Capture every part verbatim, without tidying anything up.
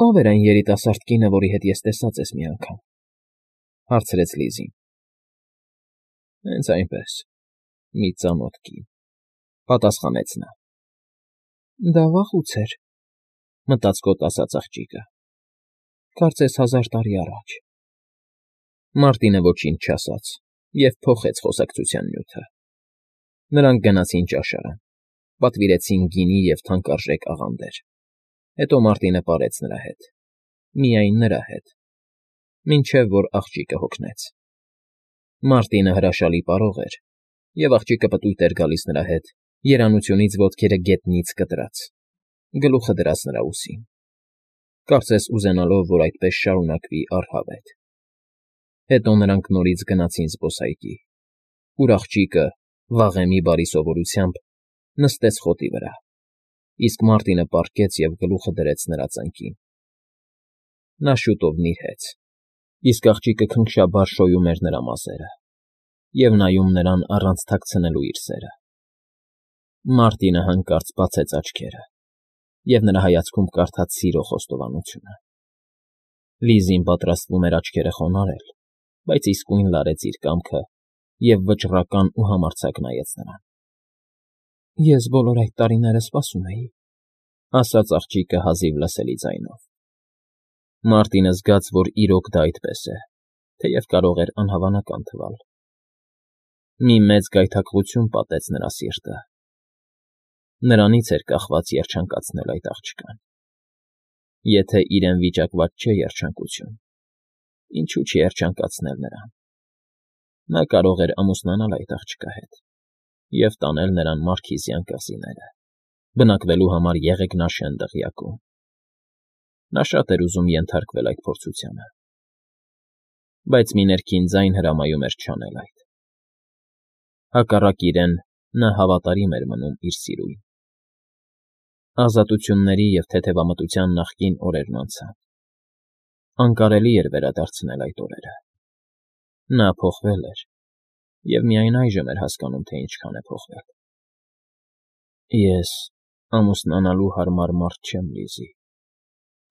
Ո՞վ էր այն երիտասարդ կինը, որի հետ ես տեսած ես մի անգամ,֊ հարցրեց Լիզին։ ֊ Հենց այնպես, մի ծանոթ կին,֊ պատասխանեց նա։ Դա վաղուց էր,֊ մտածկոտ ասաց աղջիկը,֊ կարծես հազար տարի առաջ… Մարտինը ոչինչ չասաց և փոխեց խոսակցության նյութը։ Նրանք գնացին ճաշարան, պատվիրեցին գինի և թանկարժեք աղանդեր, հետո Մարտինը պարեց նրա հետ, միայն նրա հետ, մինչև որ աղջիկը հոգնեց։ Մարտինը հրաշալի պարող էր, և աղջիկը պտույտ էր գալիս նրա հետ, երանությունից ոտքերը գետնից կտրած, գլուխը դրած նրա ուսին, կարծես ուզենալով, որ այդպես շարունակվի առհավետ։ Հետո նրանք նորից գնացին զբոսայգի, ուր աղջիկը, վաղեմի բարի սովորությամբ, նստեց խոտի վրա, իսկ Մարտինը պառկեց և գլուխը դրեց նրա ծնկին։ Նա շուտով նիրհեց, իսկ աղջիկը քնքշաբար շոյում էր նրա մազերը և նայում նրան առանց թաքցնելու իր սերը։ Մարտինը հանկարծ բացեց աչքերը, և նրա հայացքում կարդաց սիրո խոստովանությունը։ Լիզին պատրաստվում էր աչքերը խոնարհել, բայց իսկույն լարեց իր կամքը և վճռական ու համարձակ նայեց նրան։ ֊ Ես բոլոր այդ տարիները սպասում էի,֊ ասաց աղջիկը հազիվ լսելի ձայնով։ Մարտինը զգաց, որ իրոք դա այդպես է, թեև կարող էր անհավանական թվալ։ Մի մեծ գայթակղություն պատեց նրա սիրտը։ Նրանից էր կախված երջանկացնել այդ աղջկան։ Եթե իրեն վիճակված չէ երջանկություն, ինչու չերջանկացնել նրան։ Նա կարող էր ամուսնանալ այդ աղջկա հետ և տանել նրան Մարքիզյան կղզիները, բնակվելու համար Եղեգնաշեն դղյակում։ Նա շատ էր ուզում ենթարկվել այդ փորձությանը, բայց մի ներքին ձայն հրամայում էր չանել այդ։ Հակառակ իրեն, նա հավատարիմ էր մնում իր սիրուին։ Ազատությունների և թեթևամտության նախկին օրերն անցան։ Անկարելի էր վերադարձնել այդ օրերը։ Նա փոխվել էր և միայն այժմ էր հասկանում, թե ինչքան է փոխվել։ Ես ամուսնանալու հարմար մարդ չեմ, Լիզի,֊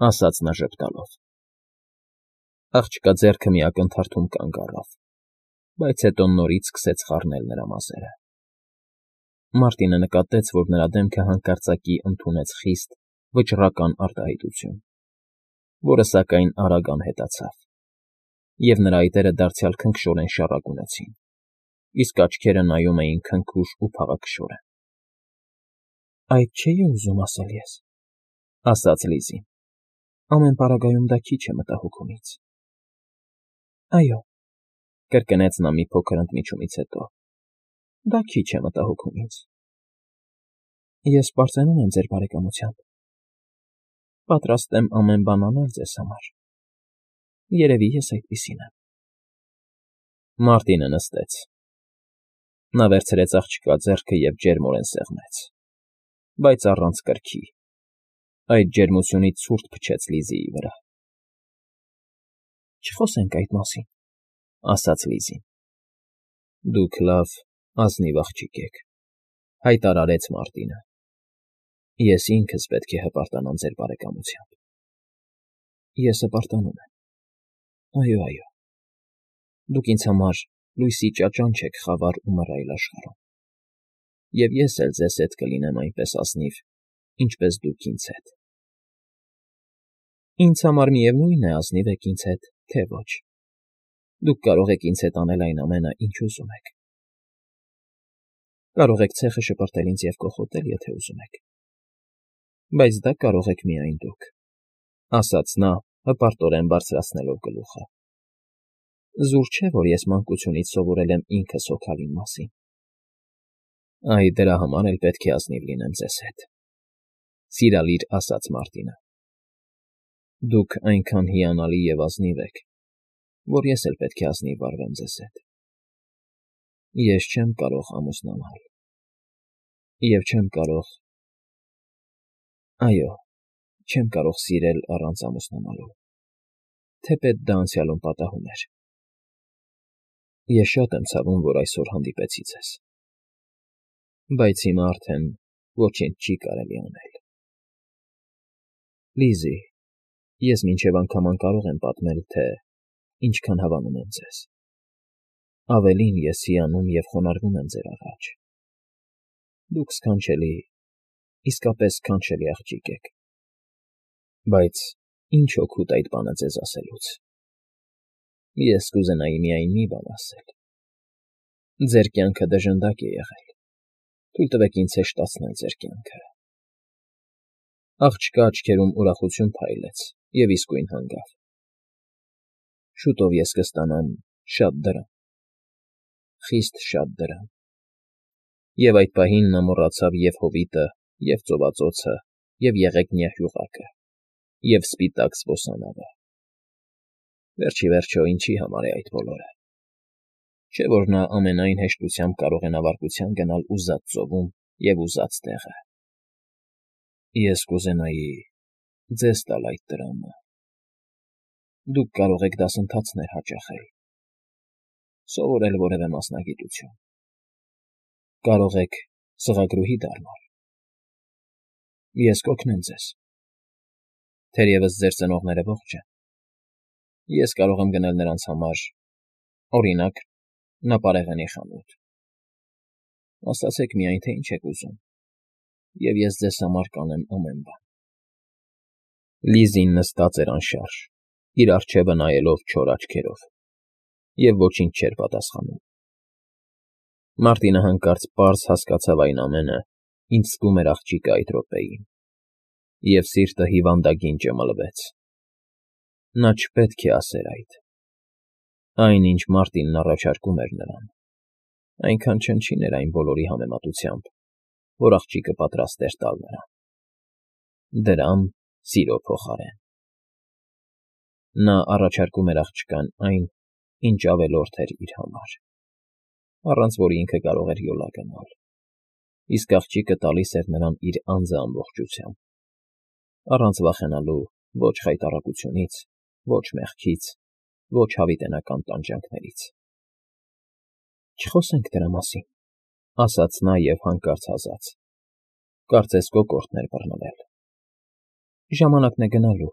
ասաց նա ժպտալով։ Աղջկա ձեռքը մի ակնթարթում կանգ առավ, բայց հետո նորից սկսեց խառնել նրա մազերը։ Մարտինը նկատեց, որ նրա դեմքը հանկարծակի ընդունեց խիստ, վճռական արտահայտություն, որը, սակայն, արագ անհետացավ, և նրա այտերը դարձյալ քնքշորեն շառագունեցին, իսկ աչքերը նայում էին քնքուշ ու փաղաքշորեն։ ֊ Այդ չէի ուզում ասել ես,֊ ասաց Լիզին,֊ ամեն պարագայում դա քիչ է մտահոգումից։ ֊ Այո,֊ կրկնեց նա մի փոքր ընդմիջումից հետո,֊ դա քիչ է մտահոգումից։ Ես պարծենում եմ ձեր բարեկամությամբ, պատրաստ եմ ամեն բան անել ձեզ համար, երևի ես այդպիսին եմ։ Մարտինը նստեց։ Նա վերցրեց աղջկա ձեռքը և ջերմորեն սեղմեց, բայց առանց կրքի, այդ ջերմությունից ցուրտ փչեց Լիզիի վրա։ ֊ Չխոսենք այդ մասին,֊ ասաց Լիզին։ ֊ Դուք լավ, ազնիվ աղջիկ եք,֊ հայտարարեց Մարտինը։ Ես ինքս պետք է հպարտանամ ձեր բարեկամությամբ։ ֊ Ես հպարտանում եմ, այո, այո, դուք ինձ համար լույսի ճաճանչ եք խավար ու մռայլ աշխարհում, և ես էլ ձեզ հետ կլինեմ այնպես ազնիվ, ինչպես դուք ինձ հետ։ ֊ Ինձ համար միևնույն է ազնիվ եք ինձ հետ, թե ոչ, դուք կարող եք ինձ հետ անել այն ամենը, ինչ ուզում եք։ Կարող եք ցեխը շպրտել ինձ և կոխոտել, եթե ուզում եք, բայց դա կարող եք միայն դուք,֊ ասաց նա, հպարտորեն բարձրացնելով գլուխը։ Զուր չէ, որ ես մանկությունից սովորել եմ ինքս հոգալ իմ մասին։ ֊ Այ դրա համար էլ պետք է ազնիվ լինեմ ձեզ հետ,֊ սիրալիր ասաց Մարտինը։ Դուք այնքան հիանալի և ազնիվ եք, որ ես էլ պետք է ազնիվ վարվեմ ձեզ հետ։ Ես չեմ կարող ամուսնանալ, և չեմ կարող… Այո, չեմ կարող սիրել առանց ամուսնանալու, թեպետ դա անցյալում պատահում էր։ Ես շատ եմ ցավում, որ այսօր հանդիպեցի ձեզ, բայց հիմա արդեն ոչինչ չի կարելի անել։ Լիզի, Ես մինչև անգամ անկարող եմ պատմել, թե ինչքան հավանում եմ ձեզ, ավելին ես հիանում և խոնարհվում եմ ձեր առաջ. դուք սքանչելի, իսկապես սքանչելի աղջիկ եք, բայց ինչ օգուտ այդ բանը ձեզ ասելուց. ես կուզենայի միայն մի բան ասել. ձեր կյանքը դժնդակ է եղել, թույլ տվեք ինձ հեշտացնել ձեր կյանքը… Աղջկա աչքերում ուրախություն փայլեց և իսկույն հանգավ. շուտով ես կստանամ շատ դրամ, խիստ շատ դրամ… Եվ այդ պահին նա մոռացավ և՛ հովիտը, և՛ ծովածոցը, և՛ եղեգնյա հյուղակը, և՛ սպիտակ զբոսանավը… Վերջ ի վերջո ինչի համար է այդ բոլորը… Չէ՞ որ նա ամենայն հեշտությամբ կարող է նավարկության գնալ ուզած ծովում և ուզած տեղը… Ես կուզենայի ձեզ տալ այդ դրամը… Դուք կարող եք դասընթացներ հաճախել, սովորել որևէ մասնագիտություն, կարող եք սղագրուհի դառնալ… Ես կօգնեմ ձեզ… Թերևս ձեր ծնողները ողջ են… Ես կարող եմ գնել նրանց համար, օրինակ, նապարեղենի խանութ… Ասացեք միայն, թե ինչ եք ուզում, և ես ձեզ համար կանեմ ամեն բան… Լիզին նստած էր անշարժ, իր առջևը նայելով չոր աչքերով, և ոչինչ չէր պատասխանում… Մարտինը հանկարծ պարզ հասկացավ այն ամենը, ինչ զգում էր աղջիկը այդ րոպեին, և սիրտը հիվանդագին ճմլվեց… Նա չպետք է ասեր այդ… Այն, ինչ Մարտինն առաջարկում էր նրան, այնքան չնչին էր այն բոլորի համեմատությամբ, որ աղջիկը պատրաստ էր տալ նրան… Դրամ սիրո փոխարեն… Նա առաջարկում էր աղջկան այն, ինչ ավելորդ էր իր համար, առանց որի ինքը կարող էր յոլա գնալ, իսկ աղջիկը տալիս էր նրան իր անձը ամբողջությամբ, առանց վախենալու ոչ խայտառակությունից, ոչ մեղքից, ոչ հավիտենական տանջանքներից… Չխոսենք դրա մասին,֊ ասաց նա և հանկարծ ասաց. կարծես կոկորդն էր բռնվել… Ժամանակն է գնալու,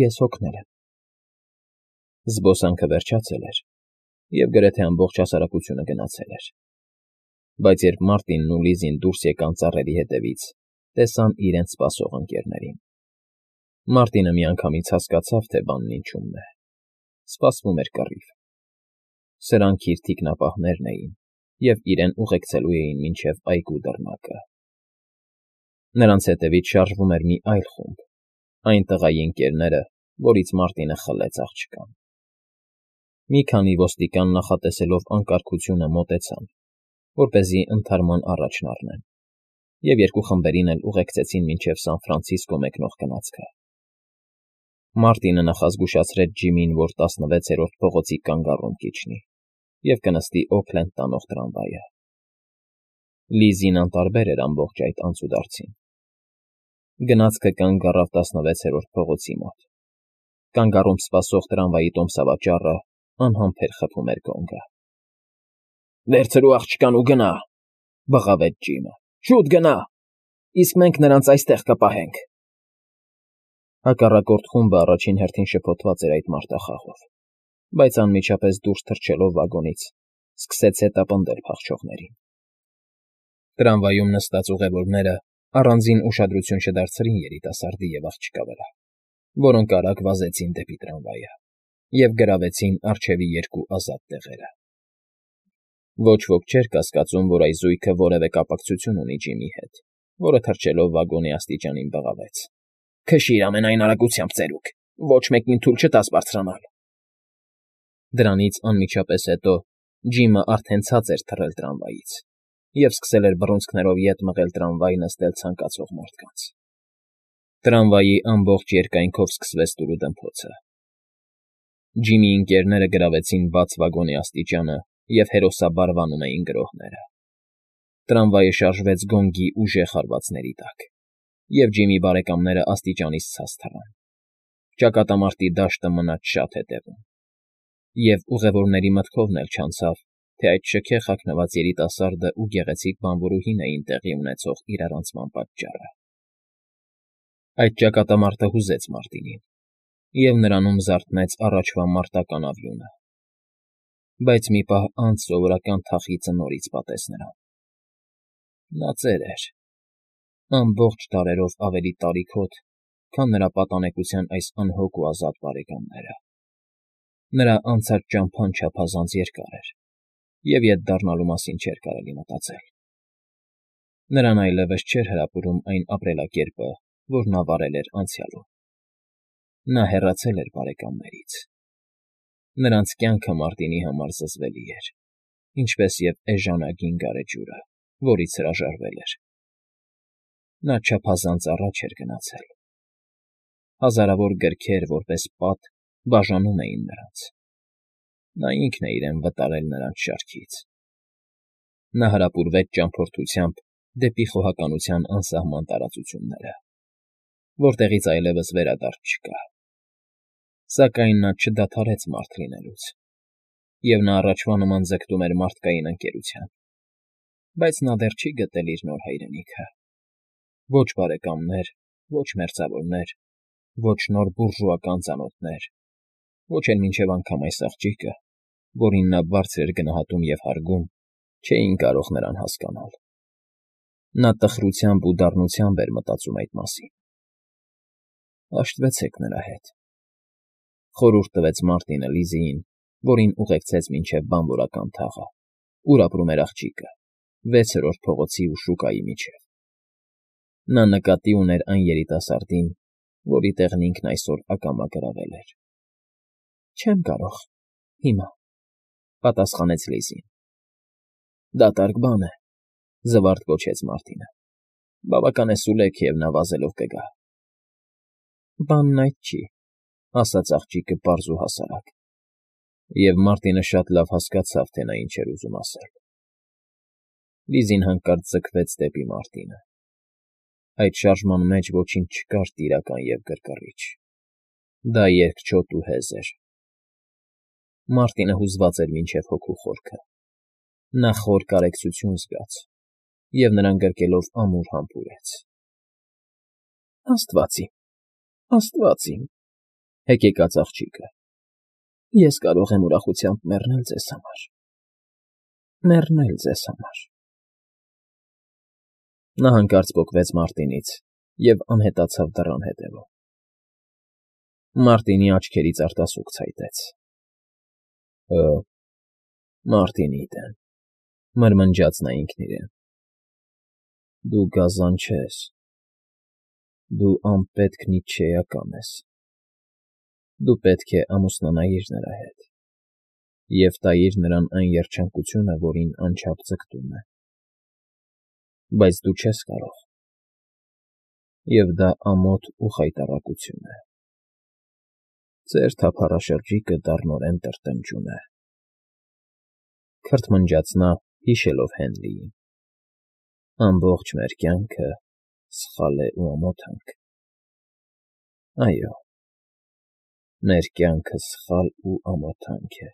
ես հոգնել եմ… Զբոսանքը վերջացել էր, և գրեթե ամբողջ հասարակությունը գնացել էր, բայց երբ Մարտինն ու Լիզին դուրս եկան ծառերի ետևից, տեսան իրենց սպասող ընկերներին… Մարտինը միանգամից հասկացավ, թե բանն ինչումն է… Սպասվում էր կռիվ… Սրանք իր թիկնապահներն էին և իրեն ուղեկցելու էին մինչև այգու դռնակը… Նրանց հետևից շարժվում էր մի այլ խումբ, այն տղայի ընկերները, որից Մարտինը խլեց աղջկան… Մի քանի ոստիկան նախատեսելով անկարգությունը մոտեցան, որպեսզի ընդհարման առաջն առնեն, և երկու խմբերին էլ ուղեկցեցին մինչև Սան Ֆրանցիսկո մեկնող գնացքը… Մարտինը նախազգուշացրեց Ջիմին, որ տասնվեցերորդ փողոցի կանգառում կիջնի և կնստի Օքլենդ տանող տրամվայը… Լիզին անտարբեր էր ամբողջ այդ անցուդարձին… Գնացքը կանգ առավ տասնվեցերորդ փողոցի մոտ… Կանգառում սպասող տրամվայի տոմսավաճառը անհամբեր խփում էր գոնգը… Վերցրու աղջկան ու գնա,֊ բղավեց Ջիմը,֊ շուտ գնա, իսկ մենք նրանց այստեղ կպահենք… Հակառակորդ խումբը առաջին հերթին շփոթված էր այդ մարտախաղով, բայց անմիջապես դուրս թռչելով վագոնից, սկսեց հետապնդել փախչողներին… Տրամվայում նստած ուղևորները առանձին ուշադրություն չդարձրին երիտասարդի և աղջկա վրա, որոնք արագ վազեցին դեպի տրամվայը և գրավեցին առջևի երկու ազատ տեղերը… Ոչ ոք չէր կասկածում, որ այս զույգը որևէ կապակցություն ունի Ջիմի հետ, որը թռչելով վագոնի աստիճանին բղավեց. Քշի՛ր ամենայն արագությամբ, ծերուկ, ոչ մեկին թույլ չտաս բարձրանալ… Դրանից անմիջապես հետո Ջիմը արդեն ցած էր թռել տրամվայից և սկսել էր բռունցքներով ետ մղել տրամվայ նստել ցանկացող մարդկանց… Տրամվայի ամբողջ երկայնքով սկսվեց տուրուդմփոցը… Ջիմի ընկերները գրավեցին բաց վագոնի աստիճանը և հերոսաբար վանում էին գրոհները… Տրամվայը շարժվեց գոնգի ուժեղ հարվածների տակ, և Ջիմի բարեկամները աստիճանից ցած թռան… Ճակատամարտի դաշտը մնաց շատ հետևում… Եվ ուղևորների մտքովն էլ չանցավ, թե այդ շքեղ հագնված երիտասարդը ու գեղեցիկ բանվորուհին էին տեղի ունեցող իրարանցման պատճառը… Այդ ճակատամարտը հուզեց Մարտինին, և նրանում զարթնեց առաջվա մարտական աղյունը, բայց մի պահ անց սովորական թախիծը նորից պատեց նրան. նա ծեր էր, ամբողջ դարերով ավելի տարիքոտ, քան նրա պատանեկության այս անհոգ ու ազատ բարեկամները. նրա անցած ճամփան չափազանց երկար էր, և ետ դառնալու մասին չէր կարելի մտածել. նրան այլևս չէր հրապուրում այն ապրելակերպը, որ նա վարել էր անցյալում. նա հեռացել էր բարեկամներից. նրանց կյանքը Մարտինի համար զզվելի էր, ինչպես և էժանագին գարեջուրը, որից հրաժարվել էր. նա չափազանց առաջ էր գնացել. հազարավոր գրքեր, որպես պատ, բաժանում էին նրանց. նա ինքն է իրեն վտարել նրանց շարքից. նա հրապուրվեց ճամփորդությամբ դեպի խոհականության անսահման տարածությունները, որտեղից այլևս վերադարձ չկա. սակայն նա չդադարեց մարդ լինելուց, և նա առաջվա նման ձգտում էր մարդկային ընկերության, բայց նա դեռ չի գտել իր նոր հայրենիքը. ոչ բարեկամներ, ոչ մերձավորներ, ոչ նոր բուրժուական ծանոթներ, ոչ էլ մինչև անգամ այս աղջիկը, որին նա բարձր էր գնահատում և հարգում, չէին կարող նրան հասկանալ. նա տխրությամբ ու դառնությամբ էր մտածում այդ մասին։ Հաշտվեցեք նրա հետ,֊ խորհուրդ տվեց Մարտինը Լիզիին, որին ուղեկցեց մինչև բանվորական թաղը, ուր ապրում էր աղջիկը, վեցերորդ փողոցի ու շուկայի միջև. նա նկատի ուներ այն երիտասարդին, որի տեղն ինքն այսօր ակամա գրավել էր։ Չեմ կարող, հիմա,֊ պատասխանեց Լիզին։ Դատարկ բան է,֊ զվարթ գոչեց Մարտինը։ բավական է սուլեք, և նա վազելով կգա։ Բանն այդ չի,֊ ասաց աղջիկը պարզ ու հասարակ, և Մարտինը շատ լավ հասկացավ, թե նա ինչ էր ուզում ասել։ Լիզին հանկարծ ձգվեց դեպի Մարտինը. այդ շարժման մեջ ոչինչ չկար տիրական և գրգռիչ. դա երկչոտ ու հեզ էր։ Մարտինը հուզված էր մինչև հոգու խորքը. նա խոր կարեկցություն զգաց, և նրան գրկելով ամուր համբուրեց. Աստված իմ, աստված իմ,֊ հեկեկաց աղջիկը,֊ ես կարող եմ ուրախությամբ մեռնել ձեզ համար, մեռնել ձեզ համար… Նա հանկարծ պոկվեց Մարտինից և անհետացավ դռան ետևում։ Մարտինի աչքերից արտասուք ցայտեց. Հը, Մարտինի դեն,֊ մրմնջաց նա ինքն իրեն,֊ դու գազան չես, դու անպետք նիցշեական ես, դու պետք է ամուսնանայիր նրա հետ և տայիր նրան այն երջանկությունը, որին անչափ ձգտում է, բայց դու չես կարող, և դա ամոթ ու խայտառակություն է… Ձեր թափառաշրջիկը դառնորեն տրտնջուն է,֊ քրթմնջաց նա, հիշելով Հենլիին,֊ ամբողջ մեր կյանքը սխալ է ու ամոթանք… Այո, մեր կյանքը սխալ ու ամոթանք է։